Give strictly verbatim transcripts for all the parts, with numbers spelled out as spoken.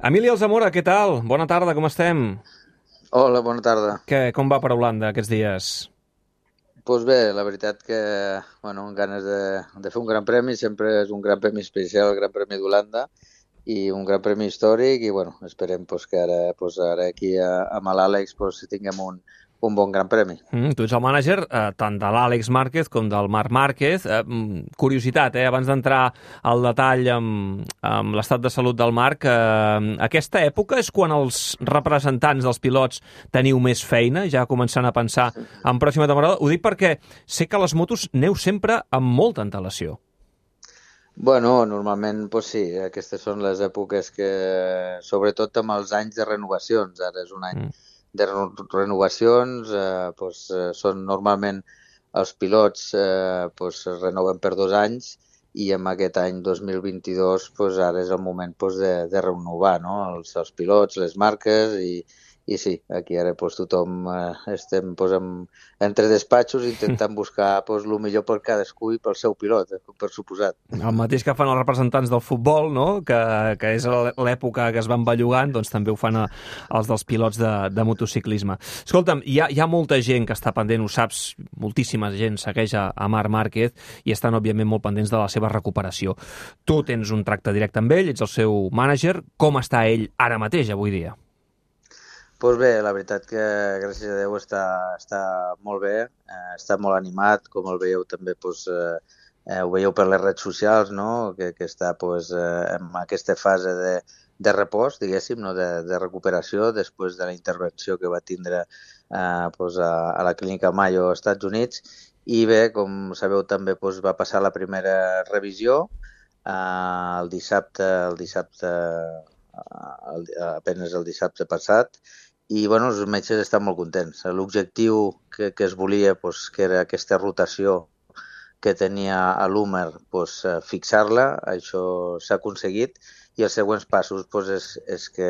Emili Alzamora, què tal? Bona tarda, com estem? Hola, bona tarda. Què, com va per Holanda aquests dies? Doncs bé, la veritat que, bueno, amb ganes de, de fer un gran premi, sempre és un gran premi especial, el Gran Premi d'Holanda, i un gran premi històric, i bueno, esperem pues, que ara, pues, ara aquí a, amb l'Àlex pues, tinguem un, un bon gran premi. Mm, tu ets el mànager eh, tant de l'Àlex Márquez com del Marc Márquez. Eh, mm, curiositat, eh, abans d'entrar al detall amb, amb l'estat de salut del Marc, eh, aquesta època és quan els representants dels pilots teniu més feina, ja començant a pensar en pròxima temporada. Ho dic perquè sé que a les motos neu sempre amb molta antelació. Bueno, normalment, pues sí, aquestes són les èpoques que, sobretot amb els anys de renovacions, ara és un any Mm. de reno- renovacions, eh, pues, eh, són normalment els pilots eh, pues, es renoven per dos anys i en aquest any dos mil vint-i-dos pues, ara és el moment pues, de, de renovar, no? els, els pilots, les marques i, i sí, aquí ara pues, tothom eh, estem pues, amb, entre despatxos intentant buscar pues, el millor per cadascú i pel seu pilot, eh, per suposat. El mateix que fan els representants del futbol, no? que, que és l'època que es van bellugant, doncs també ho fan a, els dels pilots de, de motociclisme. Escolta'm, hi ha, hi ha molta gent que està pendent, ho saps, moltíssima gent segueix a, a Marc Márquez i estan, òbviament, molt pendents de la seva recuperació. Tu tens un tracte directe amb ell, ets el seu mànager. Com està ell ara mateix, avui dia? Pues bé, la veritat que gràcies a Déu està, està molt bé, eh, està molt animat, com el veieu també, pues, eh, eh, ho veieu per les redes socials, no? que, que està pues, eh, en aquesta fase de, de repòs, diguéssim, no? de, de recuperació després de la intervenció que va tindre eh, pues, a, a la clínica Mayo als Estats Units. I bé, com sabeu també pues, va passar la primera revisió eh, el dissabte, el dissabte eh, el, apenes el dissabte passat, i bueno, els metges estan molt contents. L'objectiu que, que es volia, pues, que era aquesta rotació que tenia a l'húmer, pues, fixar-la, això s'ha aconseguit, i els següents passos pues, és, és, que,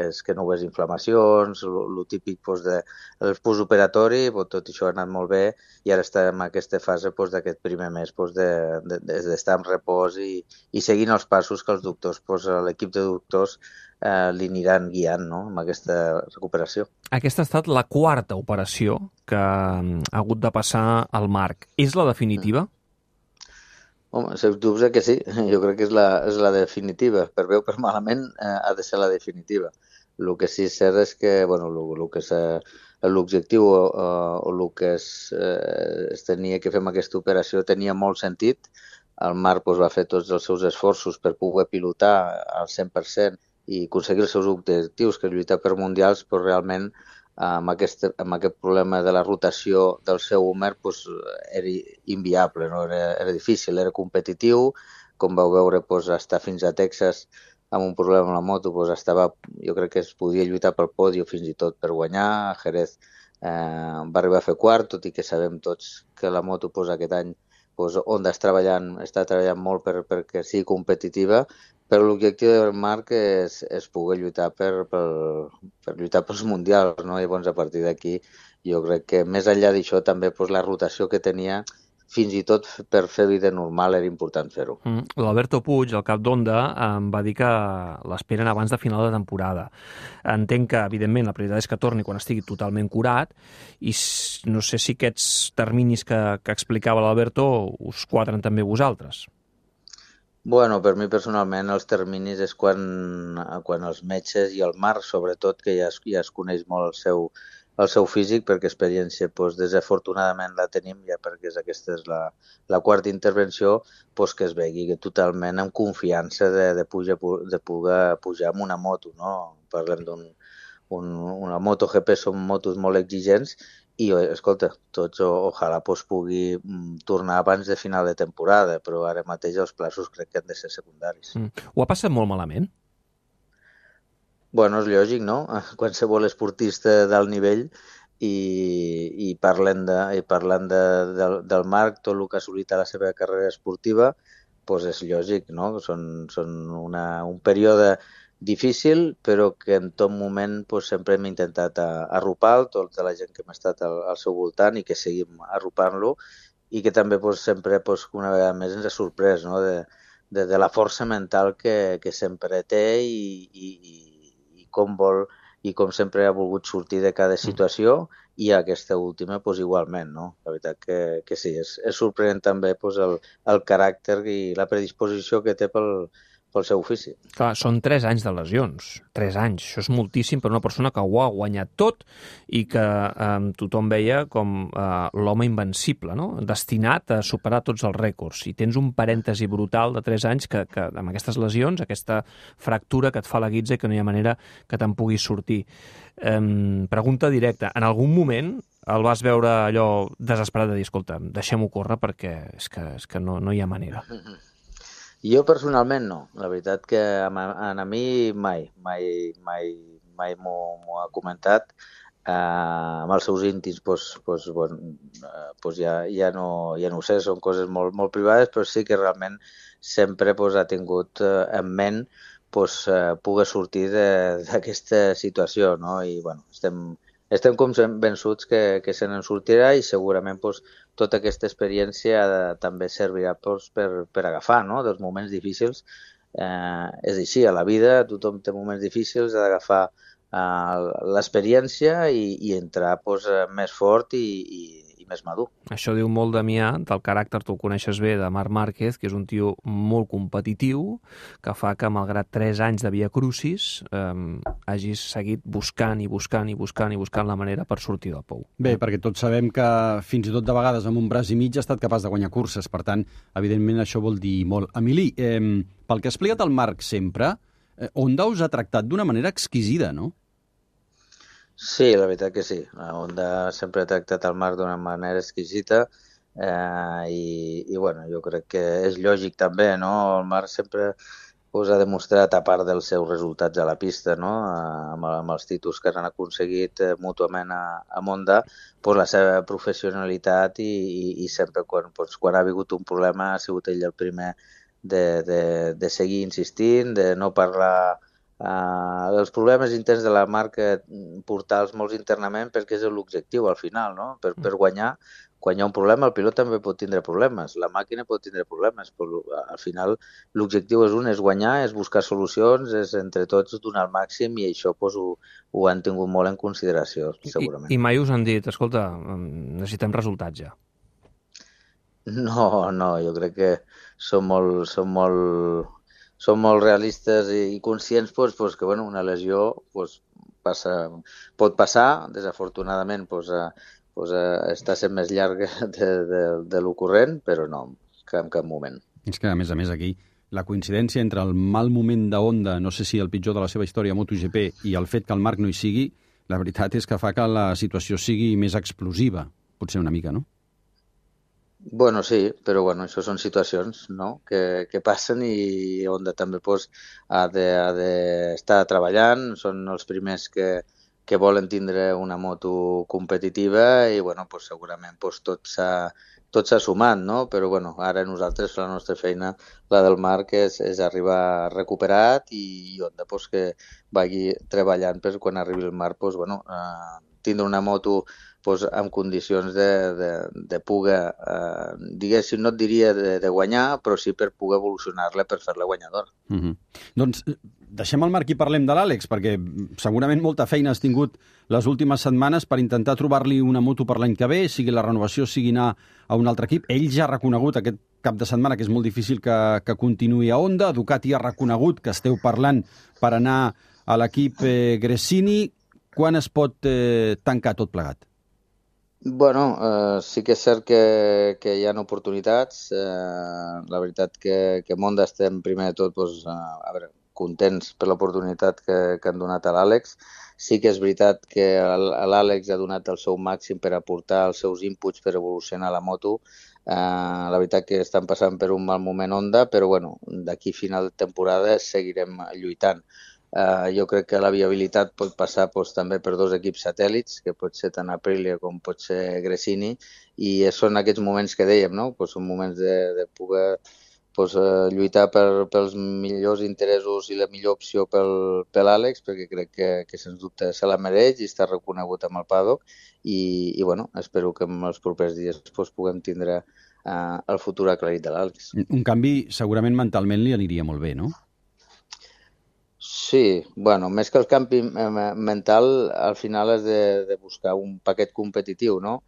és que no hi hagués inflamacions, el típic pues, de, el postoperatori, pues, tot això ha anat molt bé, i ara estem en aquesta fase pues, d'aquest primer mes pues, d'estar de, de, de en repòs i, i seguint els passos que els doctors, pues, l'equip de doctors eh, li aniran guiant, no?, amb aquesta recuperació. Aquesta ha estat la quarta operació que ha hagut de passar al Marc. És la definitiva? Home, sens dubte que sí, jo crec que és la, és la definitiva. Per bé o per malament eh, ha de ser la definitiva. El que sí és cert és que bueno, lo, lo que l'objectiu o, o el que es, eh, es tenia que fer amb aquesta operació tenia molt sentit. El Marc pues, va fer tots els seus esforços per poder pilotar al cent per cent i aconseguir els seus objectius, que és lluitar per mundials, però realment amb aquest, amb aquest problema de la rotació del seu húmer pues, era inviable, no? era, era difícil, era competitiu, com vau veure pues, estar fins a Texas amb un problema amb la moto, pues, estava, jo crec que es podia lluitar pel podi o fins i tot per guanyar. A Jerez eh, va arribar a fer quart, tot i que sabem tots que la moto pues, aquest any pues, Honda està treballant, està treballant molt per, perquè sigui competitiva, però l'objectiu del Marc és, és poder lluitar per, per, per lluitar pels mundials, no? I llavors a partir d'aquí jo crec que més enllà d'això també pues, la rotació que tenia fins i tot per fer vida normal era important fer-ho. Mm. L'Alberto Puig, el cap d'Honda, em va dir que l'esperen abans de final de temporada. Entenc que, evidentment, la prioritat és que torni quan estigui totalment curat i no sé si aquests terminis que, que explicava l'Alberto us quadren també vosaltres. Bueno, per mi personalment els terminis és quan, quan els metges i el Marc, sobretot, que ja es, ja es coneix molt el seu, el seu físic, perquè experiència doncs, desafortunadament la tenim, ja perquè és, aquesta és la, la quarta intervenció, doncs, que es vegi que totalment amb confiança de, de, pujar, de poder pujar amb una moto. No? Parlem d'un un, una MotoGP, són motos molt exigents, i, escolta, tots o, ojalà pues, pugui mm, tornar abans de final de temporada, però ara mateix els plaços crec que han de ser secundaris. Mm. Ho ha passat molt malament? Bueno, és lògic, no? Qualsevol esportista d'alt nivell i, i parlant, de, i parlant de, de, del Marc, tot el que ha assolit a la seva carrera esportiva, doncs és lògic, no? Són, són una, un període difícil, però que en tot moment pues, sempre hem intentat arropar tota la gent que hem estat al, al seu voltant i que seguim arropant-lo, i que també pues, sempre pues, una vegada més ens ha sorprès, no? de, de, de la força mental que, que sempre té i, i, com vol i com sempre ha volgut sortir de cada situació, i aquesta última pues, igualment. No? La veritat que, que sí, és, és sorprenent també pues, el, el caràcter i la predisposició que té pel, pel seu ofici. Clar, són tres anys de lesions, tres anys. Això és moltíssim per una persona que ho ha guanyat tot i que eh, tothom veia com eh, l'home invencible, no? Destinat a superar tots els rècords. I tens un parèntesi brutal de tres anys que, que amb aquestes lesions, aquesta fractura que et fa la guitza i que no hi ha manera que te'n puguis sortir. Eh, pregunta directa. En algun moment el vas veure allò desesperat de dir, escolta, deixem-ho córrer perquè és que, és que no, no hi ha manera. Jo personalment no. La veritat que a, a mi mai, mai, mai, mai m'ho ha comentat. Uh, amb els seus íntims pues, pues, bueno, uh, pues ja, ja, no, ja no ho sé, són coses molt, molt privades, però sí que realment sempre pues, ha tingut uh, en ment pues, uh, poder sortir d'aquesta situació, no? I bueno, estem, estem convençuts que, que se n'en sortirà i segurament pues, tota aquesta experiència també servirà pues, per, per agafar, no? Dels moments difícils. Eh, és així, a la vida tothom té moments difícils, ha d'agafar eh, l'experiència i, i entrar pues, més fort i, i, i més madur. Això diu molt, Damià, del caràcter, tu el coneixes bé, de Marc Márquez, que és un tio molt competitiu, que fa que, malgrat tres anys de via crucis, eh, hagis seguit buscant i buscant i buscant i buscant la manera per sortir del pou. Bé, perquè tots sabem que fins i tot de vegades amb un braç i mig ha estat capaç de guanyar curses, per tant, evidentment això vol dir molt. Emili, eh, pel que ha explicat el Marc sempre, eh, Honda us ha tractat d'una manera exquisida, no? Sí, la veritat que sí. La Honda sempre ha tractat el Marc d'una manera exquisita eh, i, i bueno, jo crec que és lògic també, no? El Marc sempre pues, ha demostrat, a part dels seus resultats a la pista, no? amb, amb els títols que han aconseguit eh, mútuament a, a Honda, pues, la seva professionalitat i, i, i sempre quan, pues, quan ha vingut un problema ha sigut ell el primer de, de, de seguir insistint, de no parlar. Uh, els problemes interns de la marca, portar-los molts internament perquè és l'objectiu al final, no? Per, per guanyar, quan hi ha un problema el pilot també pot tindre problemes, la màquina pot tindre problemes, però al final l'objectiu és un, és guanyar, és buscar solucions, és entre tots donar el màxim i això pues, ho, ho han tingut molt en consideració, segurament. I, i mai us han dit, escolta, necessitem resultats ja? No, no, jo crec que són molt... Són molt Som molt realistes i conscients pues, pues, que bueno, una lesió pues, passa, pot passar, desafortunadament pues, uh, pues, uh, està sent més llarga de, de, de l'ocorrent, però no, en cap moment. És que, a més a més, aquí la coincidència entre el mal moment de Honda, no sé si el pitjor de la seva història a MotoGP, i el fet que el Marc no hi sigui, la veritat és que fa que la situació sigui més explosiva, potser una mica, no? Bueno, sí, però bueno, això són situacions no? que, que passen i Honda també pues, ha d'estar treballant, són els primers que, que volen tindre una moto competitiva i bueno, pues, segurament pues, tot s'ha tot s'ha sumat, no? Però bueno, ara nosaltres, la nostra feina, la del Marc, és, és arribar recuperat i Honda pues, que vagi treballant per quan arribi el Marc pues, bueno, eh, tindre una moto pues, en condicions de, de, de poder, eh, diguéssim, no et diria de, de guanyar, però sí per poder evolucionar-la per fer-la guanyadora. Mm-hmm. Doncs deixem el Marc i parlem de l'Àlex, perquè segurament molta feina has tingut les últimes setmanes per intentar trobar-li una moto per l'any que ve, sigui la renovació, sigui anar a un altre equip. Ell ja ha reconegut aquest cap de setmana que és molt difícil que, que continuï a Honda. Ducati ha reconegut que esteu parlant per anar a l'equip eh, Gresini. Quan es pot eh, tancar tot plegat? Bueno, eh, sí que és cert que, que hi ha oportunitats. Eh, la veritat que, que Honda estem primer de tot doncs, a veure, contents per l'oportunitat que, que han donat a l'Àlex. Sí que és veritat que l'Àlex ha donat el seu màxim per aportar els seus inputs per evolucionar la moto. Eh, la veritat que estan passant per un mal moment Honda, però bueno, d'aquí a final de temporada seguirem lluitant. Uh, jo crec que la viabilitat pot passar pues, també per dos equips satèl·lits, que pot ser tant Aprilia com pot ser Gresini, i són aquests moments que dèiem, no? Pues són moments de, de poder pues, uh, lluitar per, pels millors interessos i la millor opció pel, per l'Àlex, perquè crec que, que sens dubte se la mereix i està reconegut amb el paddock, i, i bueno, espero que en els propers dies pues, puguem tindre uh, el futur aclarit de l'Àlex. Un canvi segurament mentalment li aniria molt bé, no? Sí, bueno, més que el canvi mental, al final has de, de buscar un paquet competitiu, no?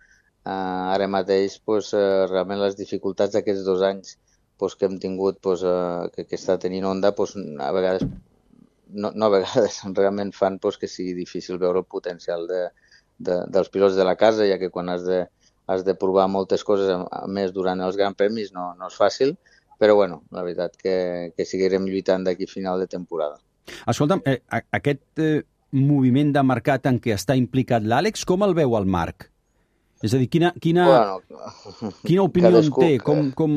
Uh, ara mateix, pues, uh, realment les dificultats d'aquests dos anys pues, que hem tingut, pues, uh, que, que està tenint Honda, pues, a vegades, no, no a vegades, realment fan pues, que sigui difícil veure el potencial de, de, dels pilots de la casa, ja que quan has de, has de provar moltes coses, a més durant els Gran Premis, no, no és fàcil, però bueno, la veritat que, que seguirem lluitant d'aquí a final de temporada. Escolta'm, eh, aquest eh, moviment de mercat en què està implicat l'Àlex, com el veu el Marc? És a dir, quina, quina, bueno, quina opinió cadascú, en té? Com, com...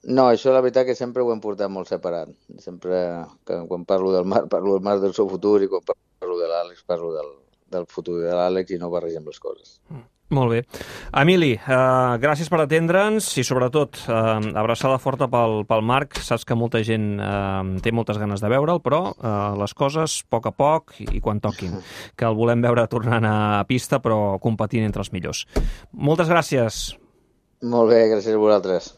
No, això la veritat que sempre ho hem portat molt separat. Sempre, que, quan parlo del Marc, parlo del Marc del seu futur, i quan parlo de l'Àlex, parlo del, del futur de l'Àlex, i no barregem les coses. Molt bé. Emili, eh, gràcies per atendre'ns i sobretot eh, abraçada forta pel, pel Marc. Saps que molta gent eh, té moltes ganes de veure'l, però eh, les coses a poc a poc i, i quan toquin. Que el volem veure tornant a pista, però competint entre els millors. Moltes gràcies. Molt bé, gràcies a vosaltres.